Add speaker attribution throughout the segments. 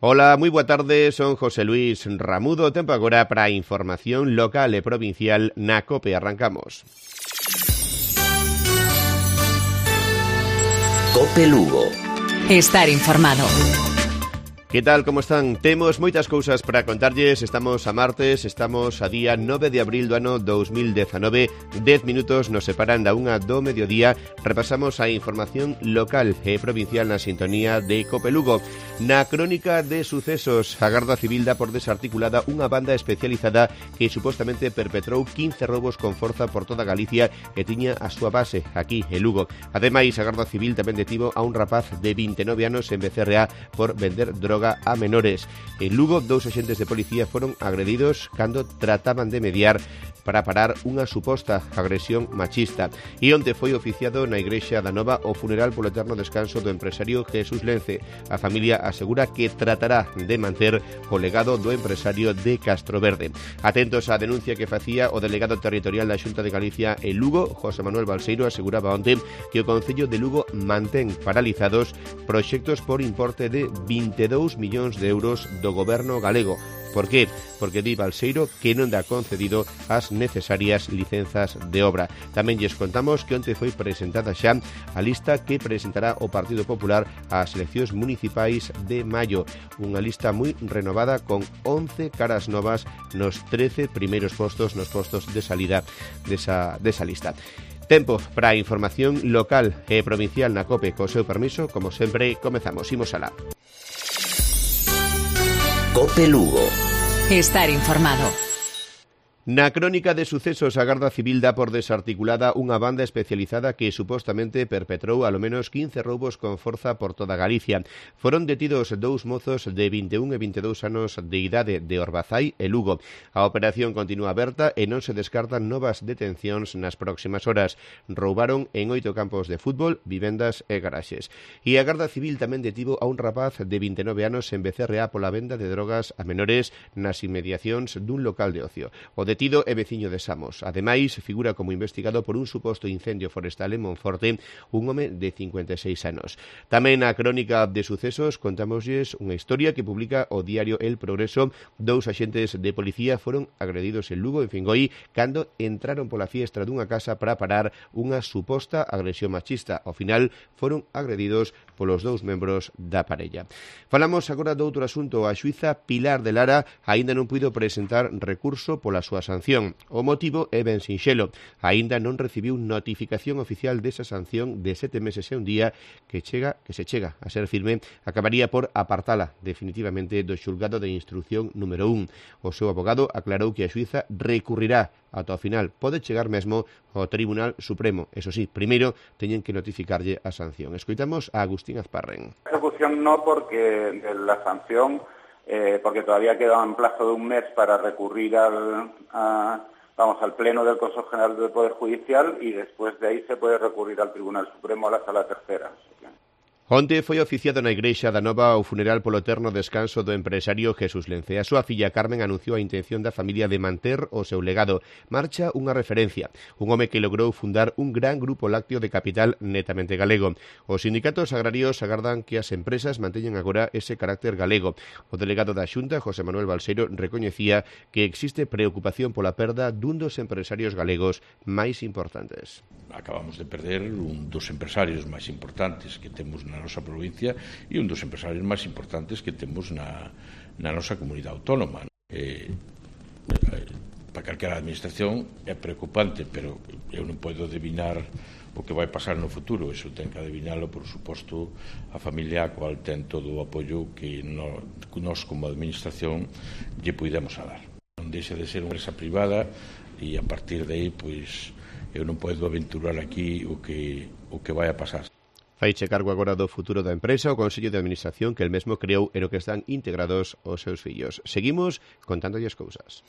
Speaker 1: Ola, moi boa tarde, son José Luis Ramudo, tempo agora para a información local e provincial na COPE. Arrancamos.
Speaker 2: COPE Lugo.
Speaker 3: Estar informado.
Speaker 1: Que tal, como están? Temos moitas cousas para contarlles. Estamos a martes, estamos a día 9 de abril do ano 2019. 10 minutos nos separan da 1 do mediodía. Repasamos a información local e provincial na sintonía de COPE Lugo. Na crónica de sucesos, a Garda Civil dá por desarticulada unha banda especializada que supostamente perpetrou 15 roubos con forza por toda Galicia e tiña a súa base aquí en Lugo. Ademais, a Garda Civil tamén detivo a un rapaz de 29 anos en Becerreá por vender droga a menores. En Lugo, 2 axentes de policía foron agredidos cando trataban de mediar para parar unha suposta agresión machista. E onte foi oficiado na Igrexa da Nova o funeral polo eterno descanso do empresario Jesús Lence. A familia asegura que tratará de manter o legado do empresario de Castroverde. Atentos á denuncia que facía o delegado territorial da Xunta de Galicia en Lugo, José Manuel Balseiro, aseguraba onte que o Concello de Lugo mantén paralizados proxectos por importe de 22 millóns de euros do goberno galego. Por qué? Porque di Balseiro que non dá concedido as necesarias licenzas de obra. Tamén lles contamos que onte foi presentada xa a lista que presentará o Partido Popular ás eleccións municipais de maio. Unha lista moi renovada con 11 caras novas nos 13 primeiros postos, nos postos de salida desa lista. Tempo para a información local e provincial na COPE. Co seu permiso, como sempre, comezamos. Imos alá.
Speaker 2: COPE Lugo.
Speaker 3: Estar informado.
Speaker 1: Na crónica de sucesos, a Garda Civil dá por desarticulada unha banda especializada que supostamente perpetrou alo menos 15 roubos con forza por toda Galicia. Foron detidos 2 mozos de 21 e 22 anos de idade de Orbazai e Lugo. A operación continúa aberta e non se descartan novas detencións nas próximas horas. Roubaron en 8 campos de fútbol, vivendas e garaxes. E a Garda Civil tamén detivo a un rapaz de 29 anos en Becerreá pola venda de drogas a menores nas inmediacións dun local de ocio. O detido é veciño de Samos. Ademais, figura como investigado por un suposto incendio forestal en Monforte un home de 56 anos. Tamén na crónica de sucesos contámoslles unha historia que publica o diario El Progreso. 2 axentes de policía foron agredidos en Lugo, en Fingoi, cando entraron pola fiestra dunha casa para parar unha suposta agresión machista. Ao final, foron agredidos polos 2 membros da parella. Falamos agora de outro asunto. A xuíza Pilar de Lara aínda non puido presentar recurso pola súa sanción. O motivo é ben sinxelo. Aínda non recibiu notificación oficial desa sanción de 7 meses e un día que se chega a ser firme, acabaría por apartala definitivamente do xulgado de instrucción número 1. O seu abogado aclarou que a xuíza recurrirá ata o final. Pode chegar mesmo ao Tribunal Supremo. Eso sí, primeiro teñen que notificarlle a sanción. Escoitamos a Agustín Azparren.
Speaker 4: La ejecución no, porque la sanción porque todavía queda un plazo de un mes para recurrir al Pleno del Consejo General del Poder Judicial, y después de ahí se puede recurrir al Tribunal Supremo, a la Sala Tercera.
Speaker 1: Onte foi oficiado na Igrexa da Nova o funeral polo eterno descanso do empresario Jesús Lence. A súa filla Carmen anunciou a intención da familia de manter o seu legado. Marcha unha referencia, un home que logrou fundar un gran grupo lácteo de capital netamente galego. Os sindicatos agrarios agardan que as empresas manteñen agora ese carácter galego. O delegado da Xunta, José Manuel Balseiro, recoñecía que existe preocupación pola perda dun dos empresarios galegos máis importantes.
Speaker 5: Acabamos de perder un dos empresarios máis importantes que temos na nosa provincia e un dos empresarios máis importantes que temos na nosa comunidade autónoma. Para calquera administración é preocupante, pero eu non podo adivinar o que vai pasar no futuro. Iso ten que adivinalo, por suposto, a familia a cual ten todo o apoio que nós como administración lle puidemos a dar. Non deixa de ser unha empresa privada e a partir de aí, pois, eu non podo aventurar aquí o que vai a pasar.
Speaker 1: Faiche cargo agora do futuro da empresa o Consello de Administración que el mesmo creou e no que están integrados os seus fillos. Seguimos contándolle as cousas.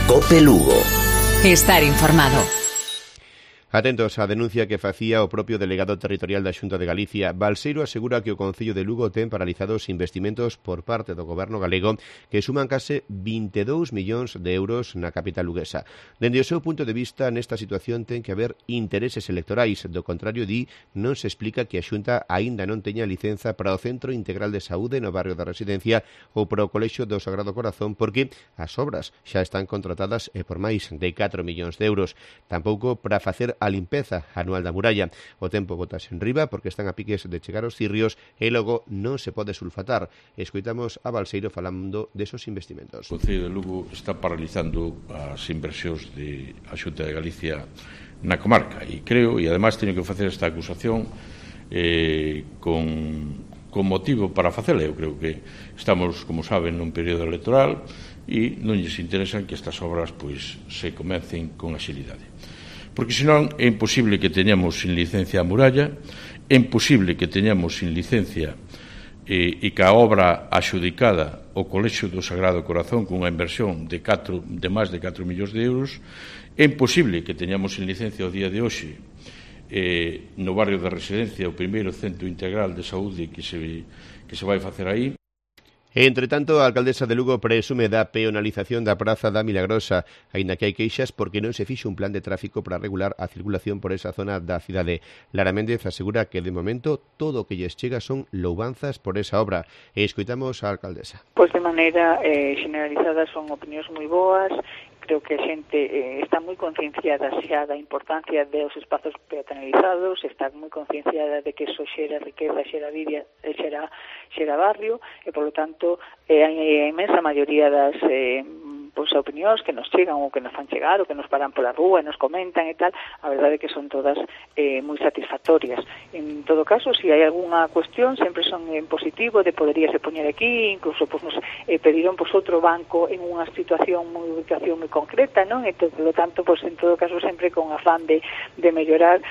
Speaker 2: COPE Lugo.
Speaker 3: Estar informado.
Speaker 1: Atentos á denuncia que facía o propio delegado territorial da Xunta de Galicia. Balseiro asegura que o Concello de Lugo ten paralizados investimentos por parte do Goberno galego que suman case 22 millóns de euros na capital luguesa. Dende o seu punto de vista, nesta situación ten que haber intereses electorais. Do contrario, di, non se explica que a Xunta aínda non teña licenza para o Centro Integral de Saúde no barrio da Residencia ou para o Colexio do Sagrado Corazón, porque as obras xa están contratadas e por máis de 4 millóns de euros. Tampouco para facer a limpeza anual da muralla. O tempo botase en riba porque están a piques de chegar os cirrios e logo non se pode sulfatar. Escoitamos a Balseiro falando desos investimentos.
Speaker 5: O Concello de Lugo está paralizando as inversións de a Xunta de Galicia na comarca e creo, e ademais teño que facer esta acusación con motivo para facela. Eu creo que estamos, como saben, nun período electoral e non lles interesa que estas obras pois se comecen con axilidade. Porque senón é imposible que teñamos sin licencia a muralla, é imposible que teñamos sin licencia e que a obra axudicada o Colexio do Sagrado Corazón cunha inversión de máis de 4 millóns de euros, é imposible que teñamos sin licencia o día de hoxe no barrio da Residencia o primeiro centro integral de saúde que se vai facer aí.
Speaker 1: Entre tanto, a alcaldesa de Lugo presume da peonalización da Praza da Milagrosa, aínda que hai queixas porque non se fixo un plan de tráfico para regular a circulación por esa zona da cidade. Lara Méndez asegura que, de momento, todo o que lles chega son louvanzas por esa obra. E escoitamos a alcaldesa.
Speaker 6: Pois de maneira generalizada son opinións moi boas. Creo que a xente está moi concienciada xa da importancia dos espazos peatonalizados, está moi concienciada de que eso xera riqueza, xera vida, xera barrio, e, polo tanto, a imensa maioría das opinións que nos chegan ou que nos fan chegar ou que nos paran pola rúa e nos comentan e tal, a verdade é que son todas moi satisfactorias. En todo caso, se hai algunha cuestión, sempre son en positivo, de poderíase poñer aquí, incluso nos pediron outro banco en unha situación, unha ubicación moi concreta, non? E, polo tanto, en todo caso, sempre con afán de mellorar.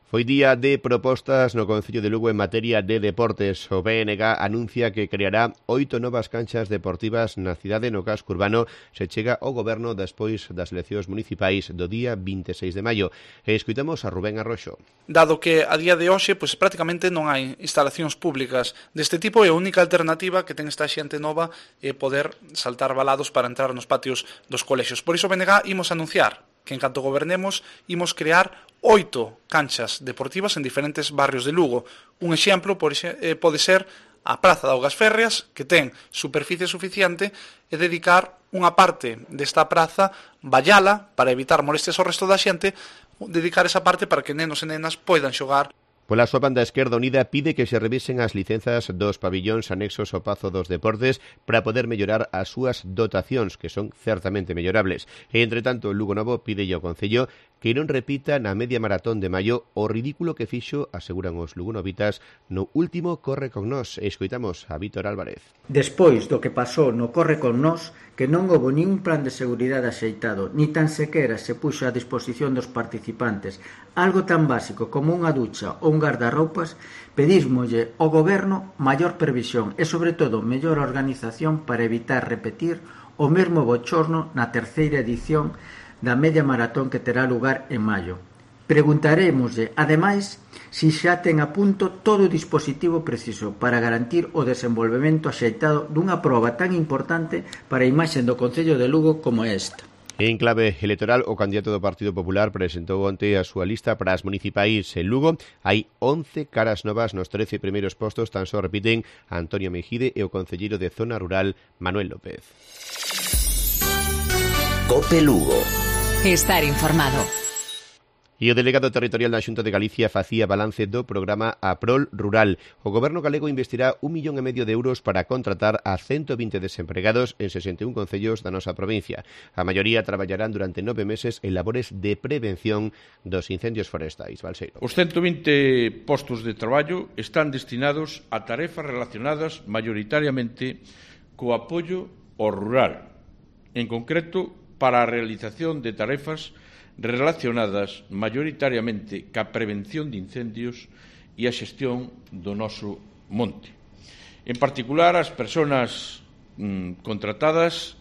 Speaker 1: Foi día de propostas no Concello de Lugo en materia de deportes. O BNG anuncia que creará 8 novas canchas deportivas na cidade no casco urbano. Se chega ao goberno despois das eleccións municipais do día 26 de maio. E escoitamos a Rubén Arroxo.
Speaker 7: Dado que a día de hoxe prácticamente non hai instalacións públicas deste tipo, e a única alternativa que ten esta xente nova é poder saltar valados para entrar nos patios dos colexios. Por iso o BNG imos anunciar que en canto gobernemos imos crear 8 canchas deportivas en diferentes barrios de Lugo. Un exemplo pode ser a Praza de Augas Férreas, que ten superficie suficiente, e dedicar unha parte desta praza, vallala, para evitar molestias ao resto da xente, dedicar esa parte para que nenos e nenas poidan xogar.
Speaker 1: Pola súa banda, Esquerda Unida pide que se revisen as licenzas dos pabillóns anexos ao Pazo dos Deportes para poder mellorar as súas dotacións, que son certamente mellorables. E, entre tanto, Lugo Novo pide ao Concello que non repita na media maratón de maio o ridículo que fixo, aseguran os lugonovitas, no último Corre con Nós. Escoitamos a Vítor Álvarez.
Speaker 8: Despois do que pasou no Corre con Nós, que non houve nin un plan de seguridade axeitado, ni tan sequera se puxo a disposición dos participantes algo tan básico como unha ducha ou un gardarroupas, pedísmolle ao goberno maior previsión e, sobre todo, mellor organización para evitar repetir o mesmo bochorno na terceira edición da media maratón que terá lugar en maio. Preguntarémoslle, ademais, se xa ten a punto todo o dispositivo preciso para garantir o desenvolvemento axeitado dunha proba tan importante para a imaxe do Concello de Lugo como esta.
Speaker 1: En clave electoral, o candidato do Partido Popular presentou onte a súa lista para as municipais en Lugo. Hai 11 caras novas nos 13 primeiros postos, tan só repiten Antonio Mejide e o concelleiro de Zona Rural, Manuel López.
Speaker 2: COPE Lugo.
Speaker 3: Estar informado.
Speaker 1: E o delegado territorial da Xunta de Galicia facía balance do programa Aprol Rural. O goberno galego investirá 1,5 millón de euros para contratar a 120 desempregados en 61 concellos da nosa provincia. A maioría traballarán durante 9 meses en labores de prevención dos incendios forestais. Balseiro.
Speaker 5: Os 120 postos de traballo están destinados a tarefas relacionadas maioritariamente co apoio ao rural, en concreto para a realización de tarefas relacionadas maioritariamente ca prevención de incendios e a xestión do noso monte. En particular, as persoas contratadas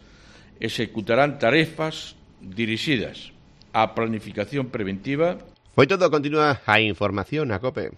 Speaker 5: executarán tarefas dirixidas á planificación preventiva.
Speaker 1: Foi todo, continúa a información a COPE.